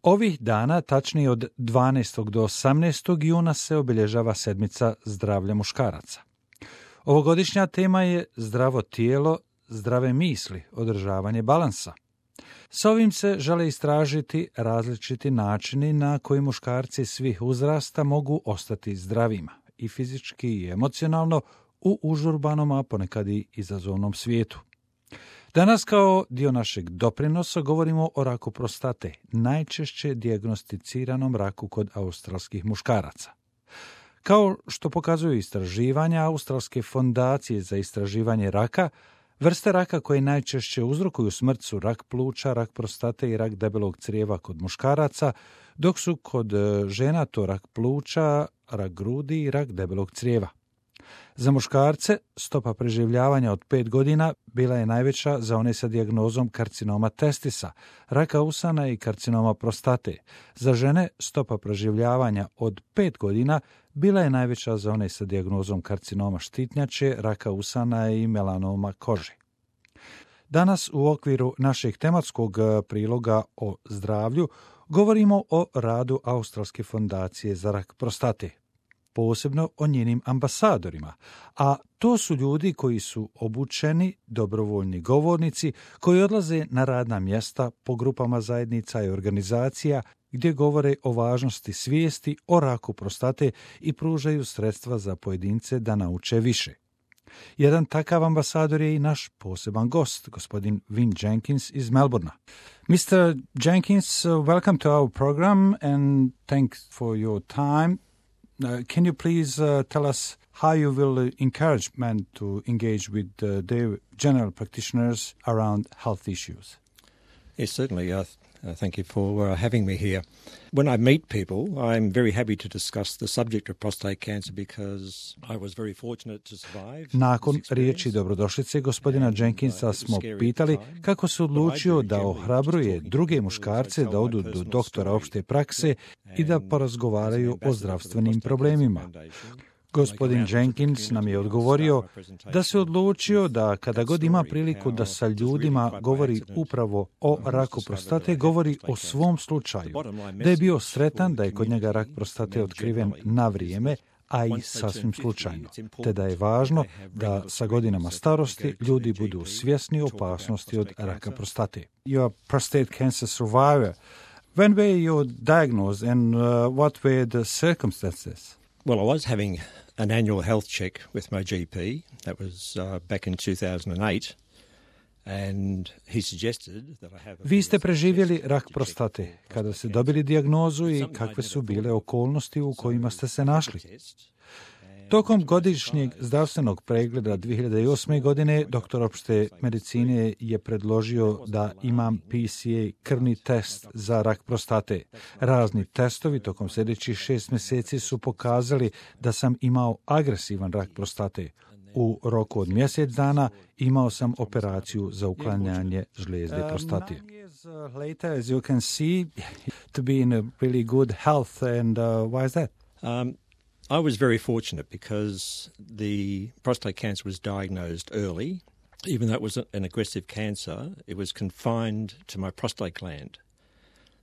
Ovih dana, tačnije od 12. do 18. juna, se obilježava sedmica zdravlja muškaraca. Ovogodišnja tema je zdravo tijelo, zdrave misli, održavanje balansa. Sa ovim se žele istražiti različiti načini na koji muškarci svih uzrasta mogu ostati zdravima i fizički i emocionalno u užurbanom, a ponekad i izazovnom svijetu. Danas kao dio našeg doprinosa govorimo o raku prostate, najčešće dijagnosticiranom raku kod australskih muškaraca. Kao što pokazuju istraživanja Australske fondacije za istraživanje raka, vrste raka koje najčešće uzrokuju smrt su rak pluća, rak prostate i rak debelog crijeva kod muškaraca, dok su kod žena to rak pluća, rak grudi i rak debelog crijeva. Za muškarce stopa preživljavanja od 5 godina bila je najveća za one sa dijagnozom karcinoma testisa, raka usana i karcinoma prostate. Za žene stopa preživljavanja od 5 godina bila je najveća za one sa dijagnozom karcinoma štitnjače, raka usana i melanoma kože. Danas u okviru našeg tematskog priloga o zdravlju govorimo o radu Australske fondacije za rak prostate, posebno o njenim ambasadorima, a to su ljudi koji su obučeni, dobrovoljni govornici, koji odlaze na radna mjesta po grupama zajednica i organizacija gdje govore o važnosti svijesti o raku prostate i pružaju sredstva za pojedince da nauče više. Jedan takav ambasador je i naš poseban gost, gospodin Vin Jenkins iz Melbournea. Mr. Jenkins, welcome to our program and thanks for your time. Can you please tell us how you will encourage men to engage with their general practitioners around health issues? Yes, certainly. Thank you for having me here. When I meet people, I'm very happy to discuss the subject of prostate cancer because I was very fortunate to survive. Nakon riječi dobrodošlice gospodina Jenkinsa smo pitali kako se odlučio da ohrabruje druge muškarce da odu do doktora opšte prakse i da porazgovaraju o zdravstvenim problemima. Gospodin Jenkins nam je odgovorio da se odlučio da kada god ima priliku da sa ljudima govori upravo o raku prostate, govori o svom slučaju, da je bio sretan da je kod njega rak prostate otkriven na vrijeme, a i sasvim slučajno, te da je važno da sa godinama starosti ljudi budu svjesni opasnosti od raka prostate. You are prostate cancer survivor. When were you diagnosed and what were the circumstances? Well, I was having an annual health check with my GP. That was back in 2008. And he suggested that I have Vi ste preživjeli rak prostate. Kada ste dobili dijagnozu i kakve su bile okolnosti u kojima ste se našli? Tokom godišnjeg zdravstvenog pregleda 2008. godine doktor opšte medicine je predložio da imam PSA krvni test za rak prostate. Razni testovi tokom sljedećih 6 mjeseci su pokazali da sam imao agresivan rak prostate. U roku od mjesec dana imao sam operaciju za uklanjanje žlijezde prostate. 9 years later, as you can see, to be in a really good health, and why is that? I was very fortunate because the prostate cancer was diagnosed early. Even though it was an aggressive cancer, it was confined to my prostate gland.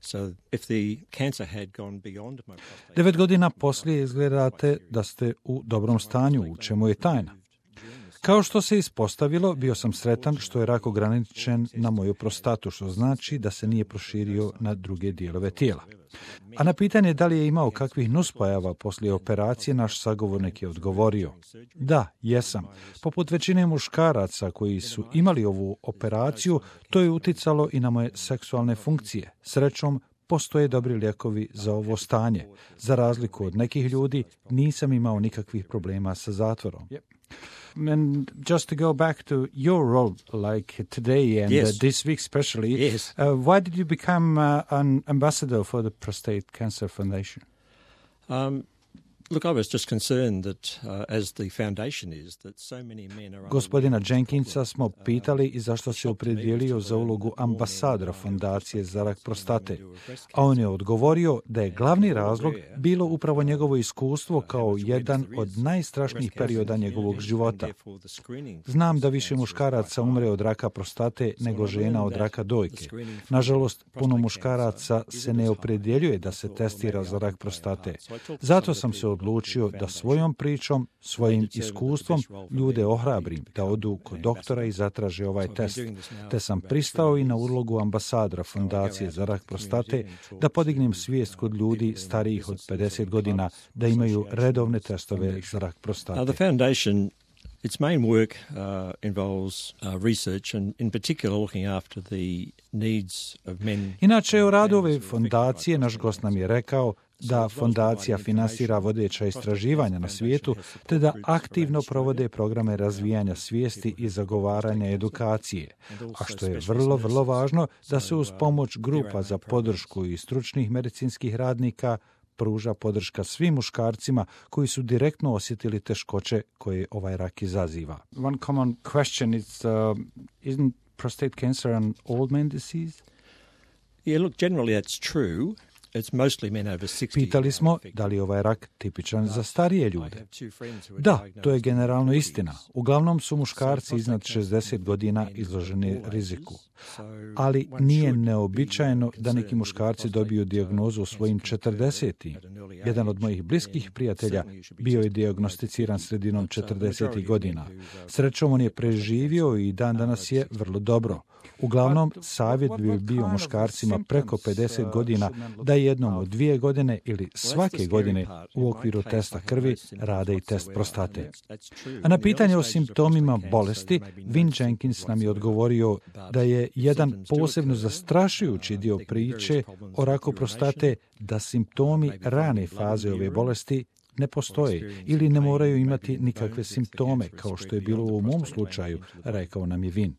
So if the cancer had gone beyond my prostate... 9 godina poslije izgledate da ste u dobrom stanju, u čemu je tajna. Kao što se ispostavilo, bio sam sretan što je rak ograničen na moju prostatu, što znači da se nije proširio na druge dijelove tijela. A na pitanje da li je imao kakvih nuspojava poslije operacije, naš sagovornik je odgovorio: da, jesam. Poput većine muškaraca koji su imali ovu operaciju, to je uticalo i na moje seksualne funkcije. Srećom, postoje dobri lijekovi za ovo stanje. Za razliku od nekih ljudi, nisam imao nikakvih problema sa zatvorom. And just to go back to your role, like today and this week especially, why did you become an ambassador for the Prostate Cancer Foundation? Look, I was just concerned that, as the foundation is, that so many men are... Gospodina Jenkinsa smo pitali i zašto se opredijelio za ulogu ambasadora Fondacije za rak prostate, a on je odgovorio da je glavni razlog bilo upravo njegovo iskustvo kao jedan od najstrašnijih perioda njegovog života. Znam da više muškaraca umre od raka prostate nego žena od raka dojke. Nažalost, puno muškaraca se ne opredjeljuje da se testira za rak prostate. Zato sam se odlučio da svojom pričom, svojim iskustvom ljude ohrabrim da odu kod doktora i zatraže ovaj test, te sam pristao i na ulogu ambasadora Fondacije za rak prostate da podignem svijest kod ljudi starijih od 50 godina da imaju redovne testove za rak prostate. Its main work involves research and in particular looking after the needs of men. Inače, u radu ove fondacije naš gost nam je rekao da fondacija finansira vodeća istraživanja na svijetu, te da aktivno provode programe razvijanja svijesti i zagovaranja edukacije, a što je vrlo važno da se uz pomoć grupa za podršku i stručnih medicinskih radnika pruža podrška svim muškarcima koji su direktno osjetili teškoće koje ovaj rak izaziva. One common question is, isn't prostate cancer an old man disease? Yeah, look, generally that's true. It's mostly men over 60. Pitali smo da li je ovaj rak tipičan za starije ljude. Da, to je generalno istina. Uglavnom su muškarci iznad 60 godina izloženi riziku. Ali nije neobičajeno da neki muškarci dobiju dijagnozu u svojim 40. Jedan od mojih bliskih prijatelja bio je dijagnosticiran sredinom 40. godina. Srećom, on je preživio i dan danas je vrlo dobro. Uglavnom, savjet bi bio muškarcima preko 50 godina da jednom od 2 godine ili svake godine u okviru testa krvi rade i test prostate. A na pitanje o simptomima bolesti, Vin Jenkins nam je odgovorio da je jedan posebno zastrašujući dio priče o raku prostate da simptomi rane faze ove bolesti ne postoje ili ne moraju imati nikakve simptome, kao što je bilo u mom slučaju, rekao nam je Vin.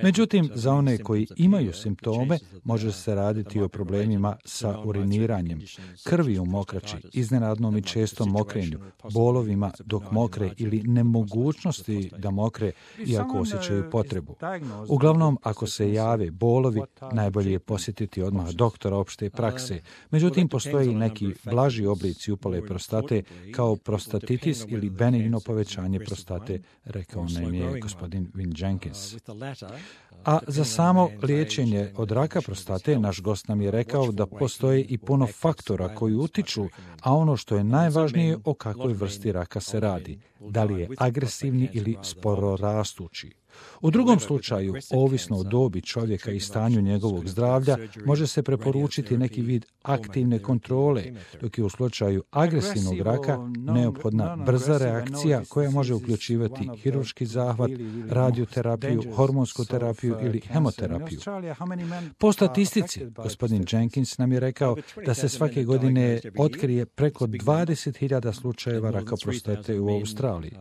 Međutim, za one koji imaju simptome, može se raditi o problemima sa uriniranjem, krvi u mokraći, iznenadnom i čestom mokrenju, bolovima dok mokre ili nemogućnosti da mokre iako osjećaju potrebu. Uglavnom, ako se jave bolovi, najbolje je posjetiti odmah doktora opšte prakse. Međutim, postoje i neki blaži oblici upale prostate kao prostatitis ili benigno povećanje prostate, rekao nam je gospodin Vin Jenkins. A za samo liječenje od raka prostate naš gost nam je rekao da postoji i puno faktora koji utiču, a ono što je najvažnije o kakvoj vrsti raka se radi, da li je agresivni ili sporo rastući. U drugom slučaju, ovisno o dobi čovjeka i stanju njegovog zdravlja, može se preporučiti neki vid aktivne kontrole, dok je u slučaju agresivnog raka neophodna brza reakcija koja može uključivati hirurški zahvat, radioterapiju, hormonsku terapiju ili hemoterapiju. Po statistici, gospodin Jenkins nam je rekao da se svake godine otkrije preko 20.000 slučajeva raka prostate u Australiji,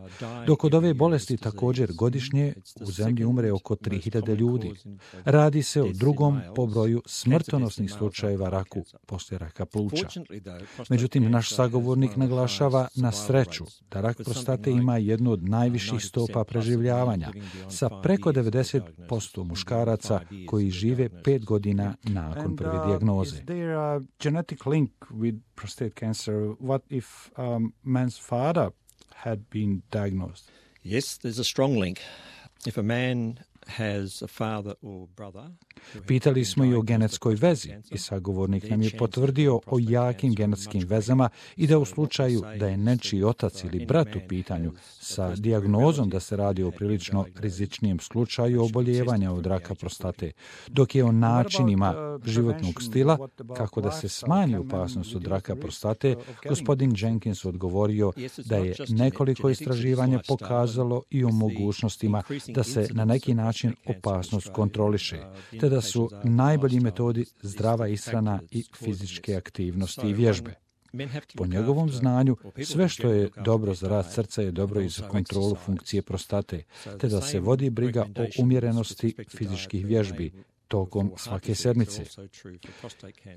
dok od ove bolesti također godišnje u zemlji umre oko 3.000 ljudi. Radi se o drugom po broju smrtonosnih slučajeva raku poslije raka pluća. Međutim, naš sagovornik naglašava na sreću da rak prostate ima jednu od najviših stopa preživljavanja, sa preko 90% muškaraca koji žive 5 godina nakon prve dijagnoze. Is there a genetic link with prostate cancer? What if man's father had been diagnosed? Yes, there's a strong link. If a man has a father or brother... Pitali smo i o genetskoj vezi i sagovornik nam je potvrdio o jakim genetskim vezama i da u slučaju da je nečiji otac ili brat u pitanju sa dijagnozom da se radi o prilično rizičnijem slučaju oboljevanja od raka prostate, dok je o načinima životnog stila kako da se smanji opasnost od raka prostate, gospodin Jenkins odgovorio da je nekoliko istraživanja pokazalo i o mogućnostima da se na neki način opasnost kontroliše, te da su najbolji metodi zdrava ishrana i fizičke aktivnosti i vježbe. Po njegovom znanju, sve što je dobro za rad srca je dobro i za kontrolu funkcije prostate, te da se vodi briga o umjerenosti fizičkih vježbi, tokom svake sedmice.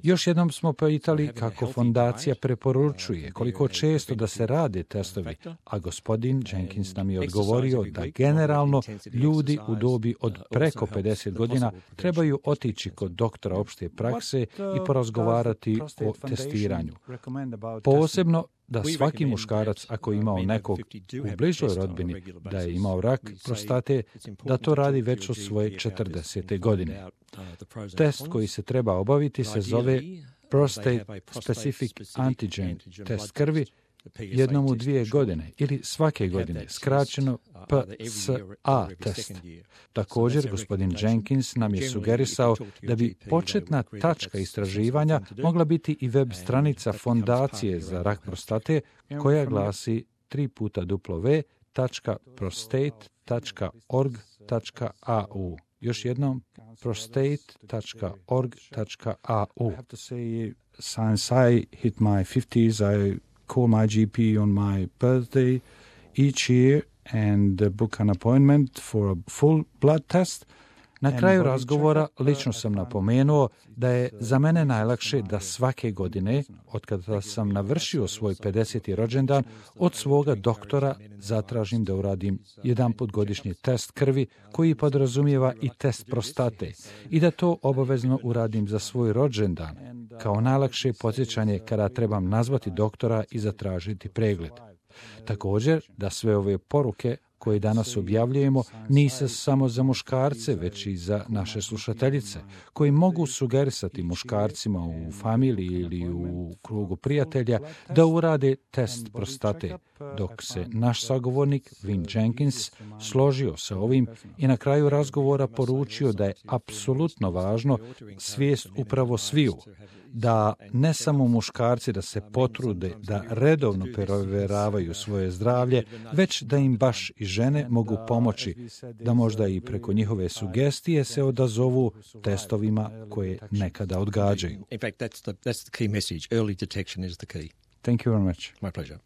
Još jednom smo pitali kako fondacija preporučuje koliko često da se rade testovi, a gospodin Jenkins nam je odgovorio da generalno ljudi u dobi od preko 50 godina trebaju otići kod doktora opšte prakse i porazgovarati o testiranju. Posebno da svaki muškarac, ako je imao nekog u bližoj rodbini da je imao rak prostate, da to radi već od svoje 40. godine. Test koji se treba obaviti se zove Prostate Specific Antigen test krvi, jednom u 2 godine ili svake godine, skraćeno PSA test. Također, gospodin Jenkins nam je sugerisao da bi početna tačka istraživanja mogla biti i web stranica Fondacije za rak prostate koja glasi www.prostate.org.au. Još jednom, prostate.org.au. Since I hit my 50s, I call my GP on my birthday each year and book an appointment for a full blood test. Na kraju razgovora lično sam napomenuo da je za mene najlakše da svake godine, otkada sam navršio svoj 50. rođendan, od svoga doktora zatražim da uradim jedanput godišnji test krvi koji podrazumijeva i test prostate i da to obavezno uradim za svoj rođendan, kao najlakše podsjećanje kada trebam nazvati doktora i zatražiti pregled. Također, da sve ove poruke koje danas objavljujemo nisu samo za muškarce, već i za naše slušateljice, koji mogu sugerisati muškarcima u familiji ili u krugu prijatelja da urade test prostate, dok se naš sagovornik Vin Jenkins složio sa ovim i na kraju razgovora poručio da je apsolutno važno svijest upravo sviju, da ne samo muškarci da se potrude da redovno provjeravaju svoje zdravlje, već da im baš i žene mogu pomoći, da možda i preko njihove sugestije se odazovu testovima koje nekada odgađaju. In fact, that's the key message. Early detection is the key. Thank you very much. My pleasure.